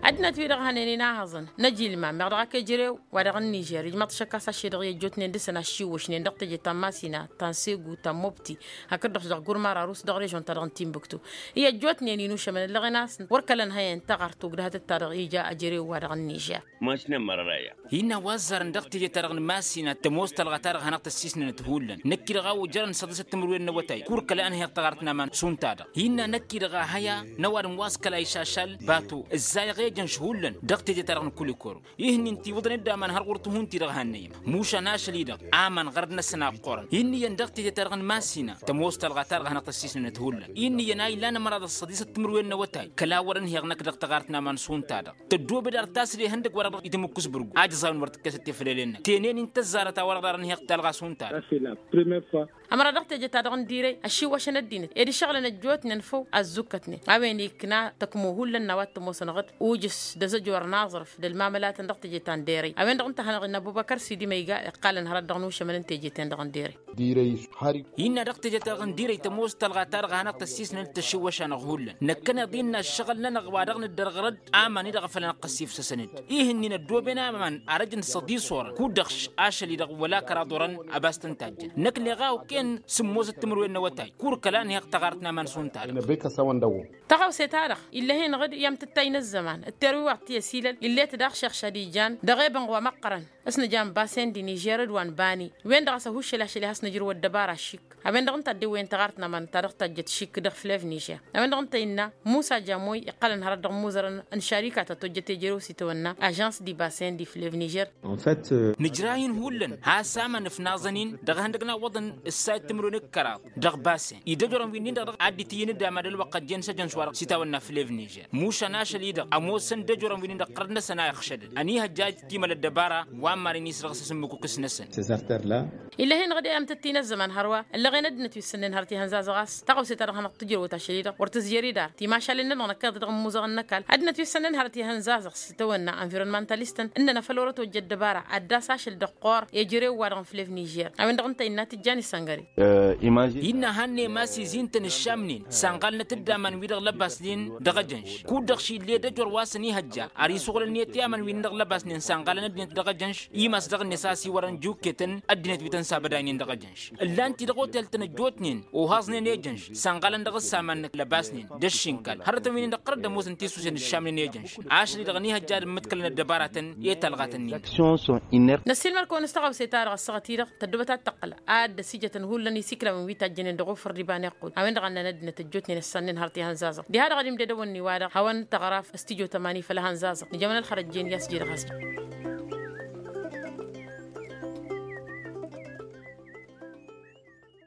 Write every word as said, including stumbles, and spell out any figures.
Ăddinăt-wi-dăɣ hănen inahăẓăn n-ajilma meɣ dăɣ-ak ejărew wa dăɣ-nižer ijmăḍ šăkk a-s ašše-dăɣ i-ăjjootnen dăr-săn aššiwwăšnen dăɣ-teje ta n-masina ta n-segu ta n-mobti hakd-dăɣ dăɣ-gurmar arus dăɣ-režon-ta-dăɣ n-timbuktu. I-ăjjootnen inušămăn ǝllăɣen a-s wăr kălăn hăyăn taɣart tugdăhătăt-ta-dăɣ ija ăjărew wa dăɣ-nižer. Mašnen mărăra ya. Hinna wa ăzzarăn dăɣ-teje-ta-dăɣ n-masina tămoos talɣa-ta-dăɣ hanăɣ-tăssisnănăt hullan năkk-i-dăɣ a ojărăn săḍisăt timǝrwen n-awătay kur kăla ănhăyăɣ taɣart n-aman šund-ta-dăɣ. Hinna năkk-i-dăɣ a hăya n-ăwadǝm wa s-kăla išašal bato ǝzzayăɣ ejănš hullan dăɣ-teje-ta-dăɣ n-kulikoro. Ihǝnnin tiwǝḍăn-dd aman har ɣur-tihun-ti-dăɣ hannăyăm mušan ašăl-i-dăɣ aman ɣărăd-năsăn a ǝqqurăn. Inniyăn dăɣ-teje-ta-dăɣ n-masina tămoos talɣa-ta-dăɣ hanăɣ-tăssisnănăt hullan inniyăn a ilan ămăraḍ ăṣṣăḍisăt timǝrwen n-awătay kăla wăr-ănhăyăɣ năkk dăɣ-taɣart n-aman šund-ta-dăɣ. Tăddoobed ar tasre ihăndăg wa dăɣ-itǝmǝkkǝs bǝrgu ajăẓawen wăr tǝkkesăt teflelen-năk tenen-in tăzzarăt a-wa-dăɣ dar ănhăyăɣ talɣa šund-ta-dăɣ. Ămăra dăɣ-teje-ta-dăɣ n-direy ăššiwwăšăn ăddinăt ed išăɣlăn ăjjootnen făw ăzzukkătnen a-wen ikkna tăkmo hullan n-a-wa t-ămoosăn ɣǝd ujǝs d-azăjor n-aẓrǝf d-ălmamălatăn dăɣ-teje ta n-derey a-wen-dăɣ ǝnta a hanăɣ-innă ăbubăkăr sidi ma iga iqqalăn hărăt dăɣ-inušămăn n-teje-ten-dăɣ n-derey. Dirăy har-i. Innă dăɣ-teje-ta-dăɣ n-dirăy tămoos talɣa-ta-dăɣ a hanăɣ-tăssisnăn d-tăššiwwăš-anăɣ hullan năkkăneḍ innă ăššăɣǝl-nănăɣ wa dăɣ-nǝddărɣărăd aman-i-dăɣ a făl ănăqqăs ifsăsăn-dd. Ihǝnnin ăddooben aman arăj n-săḍisor kud-dăɣ ašăl-i-dăɣ wăla kăraḍ orăn ăbas tăn-tajjăn năkk neɣ a okăyăn sǝmmosăt timǝrwen n-awătay kur kăla ănhăyăɣ taɣart n-aman šund-ta-dăɣ. Tăɣawse-ta-dăɣ ill'-e-hin ɣǝd i-amtǝttay n-ăzzăman d-terwiwaḍt ti ăsilăl ill'-e-t daɣ šeɣšad ijan dăɣ-ebănɣ wa măqqărăn s-nǝjan basen d-inižer d-wa n-bani. Wen-dăɣ a-s ăhuššăl ašăl i-has-nǝjrǝw ăddăbara ašik a-wen-dăɣ ǝnta a dd-ewăyăn taɣart n-aman ta dăɣ-tajjăt šik dăɣ-flev nižer. A-wen-dăɣ ǝnta innă musa jamoy iqqălăn hărăt dăɣ-imuzărăn n-šarika ta tojjăt ejărew s-itawănna ažans di basen di flev nižer. Nǝjrah-in hullan has-aman ǝfnaẓăn-in dăɣ-ihăndăg n-awwăḍăn ǝssayăt timǝrwen d-kăraḍ dăɣ-basen idăjorăn wi-nin-dăɣ dăɣ-a dd-itǝyyǝn d-amad ălwăqq ăjjeen s-ejăns wa dăɣ-s itawănna flev nižer. Mušan ašăl-i-dăɣ ămoosăn d-ejorăn wi-nin-dăɣ ɣărăd-năsăn a ixšădăd ănihăjja a dd-timăl ăddăbara wa n-marăn isrăɣsăs ǝmmǝkukǝs-năsăn. Ila-hin-dăɣ d-e-amtăt-in ăzzăman hărwa ăllăɣen ăddinăt wi ǝssănnen hărăt ihănza-zăɣ a-s tăɣawse-ta-dăɣ hanăɣ-tǝjrăwăt ašăl-i-dăɣ wăr tǝzjăr-dd ar timašalen-nănăɣ năkkeḍ dăɣ-ămmuzăɣăn n-ăkall ăddinăt wi ǝssănnen hărăt ihănza-zăɣ s-itawănna environmentalistăn ǝnnăn a făl wăr-ătojja ăddăbara ad-dd-as ašăl dăɣ-qor i-ejărew-wa-dăɣ n-flev nižer. A-wen-dăɣ ǝnta innă tǝjjan isăngăre. Innă hannăyăm a-s izin-tăn ǝššamnen sanɣalnăt-dd aman-wi-dăɣ lăbasnen dăɣ-ejănš kud-dăɣ šille d-ejor wa s-ănihăjja ar isuɣǝlăn-net i-aman-wi-nin-dăɣ lăbasnen sanɣalăn ăddinăt dăɣ-ejănš. Imas dăɣ-net a-s iwărăn juketăn ăddinăt wi tăn-sabădaynen dăɣ-ejănš ǝllan-t-i dăɣ-otel-tăn ăjjootnen ohaẓnen ejănš sanɣalăn dăɣ-s aman lăbasnen d-ăššinkal hărătăn wi-nin-dăɣ ɣărăt d-ămoosăn tisusen d-ǝššamnen ejănš. Ašăl-i-dăɣ ănihăjja ad-ǝmmǝtkălăn ăddăbaratăn i-talɣatăn-nin. Năssiilmăr-kăwăn s-taɣawse ta dăɣ-ăssaɣăt-i-dăɣ tăddobăt ad-tăqqǝl ad-dd-ăsijătăn hullan isiklawăn wi tajjănen dăɣ-ofăr d-iba n-iqqul a-wen-dăɣ a ǝnnan ăddinăt ăjjootnen ǝssannen hărăt ihănzaẓăɣ diha-dăɣ ad-imded ăwănni-wa-dăɣ hawăn-tăɣraf s-tijo tămani făll-ehănzaẓăɣ nǝjămăn ălxărăt jen i-a-s j-dăɣ has-jen.